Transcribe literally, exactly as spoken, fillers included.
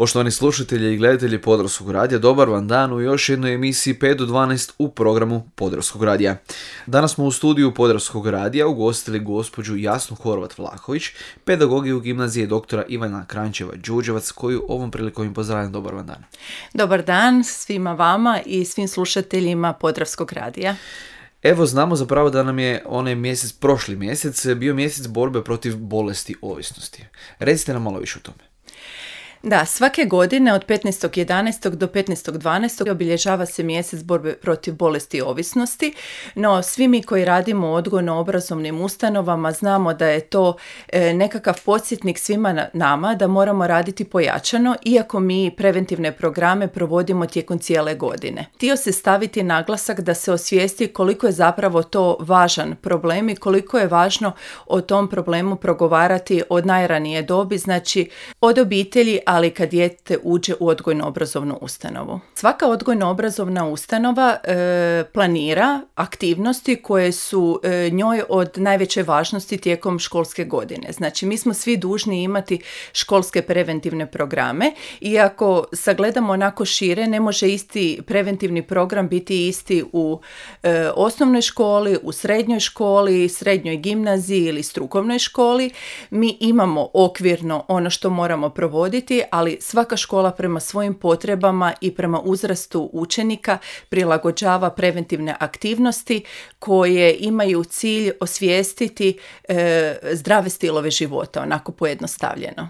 Poštovani slušatelji i gledatelji Podravskog radija, dobar vam dan u još jednoj emisiji pet do dvanaest u programu Podravskog radija. Danas smo u studiju Podravskog radija ugostili gospođu Jasnu Horvat-Vlahović, pedagogiju gimnazije doktora Ivana Kranjčeva-Đurđevac, koju ovom prilikom im pozdravljam. Dobar vam dan. Dobar dan svima vama i svim slušateljima Podravskog radija. Evo, znamo zapravo da nam je onaj mjesec, prošli mjesec, bio mjesec borbe protiv bolesti ovisnosti. Recite nam malo više o tome. Da, svake godine od petnaestog jedanaestog do petnaestog dvanaestog obilježava se mjesec borbe protiv bolesti ovisnosti, no svi mi koji radimo u odgojno-obrazovnim ustanovama znamo da je to e, nekakav podsjetnik svima nama da moramo raditi pojačano, iako mi preventivne programe provodimo tijekom cijele godine. Htio se staviti naglasak da se osvijesti koliko je zapravo to važan problem i koliko je važno o tom problemu progovarati od najranije dobi, znači od obitelji, ali kad dijete uđe u odgojno-obrazovnu ustanovu. Svaka odgojno-obrazovna ustanova e, planira aktivnosti koje su e, njoj od najveće važnosti tijekom školske godine. Znači, mi smo svi dužni imati školske preventivne programe, iako sagledamo onako šire, ne može isti preventivni program biti isti u e, osnovnoj školi, u srednjoj školi, srednjoj gimnaziji ili strukovnoj školi. Mi imamo okvirno ono što moramo provoditi, ali svaka škola prema svojim potrebama i prema uzrastu učenika prilagođava preventivne aktivnosti koje imaju cilj osvijestiti e, zdrave stilove života, onako pojednostavljeno.